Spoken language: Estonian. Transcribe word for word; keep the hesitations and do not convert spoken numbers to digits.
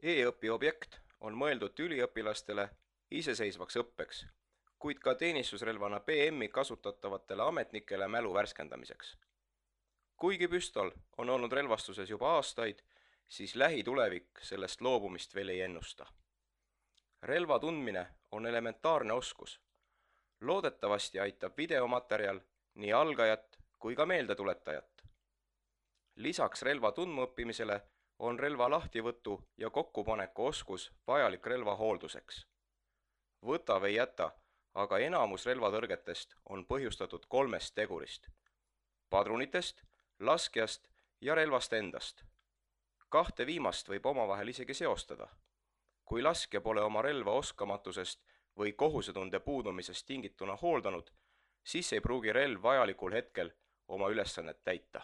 E-õpi objekt on mõeldud üliõpilastele iseseisvaks õppeks, kuid ka teenistusrelvana B M-i kasutatavatele ametnikele mälu värskendamiseks. Kuigi püstol on olnud relvastuses juba aastaid, siis lähitulevik sellest loobumist veel ei ennusta. Relva tundmine on elementaarne oskus. Loodetavasti aitab videomaterjal nii algajat kui ka meeldetuletajat. Lisaks relva tundmaõppimisele on relva lahtivõtu ja kokkupaneku oskus vajalik relva hoolduseks. Võta või jäta, aga enamus relvatõrgetest on põhjustatud kolmest tegurist: padrunitest, laskjast ja relvast endast. Kahte viimast võib omavahel isegi seostada. Kui laskja pole oma relva oskamatusest või kohusetunde puudumisest tingituna hooldanud, siis ei pruugi relv vajalikul hetkel oma ülesannet täita.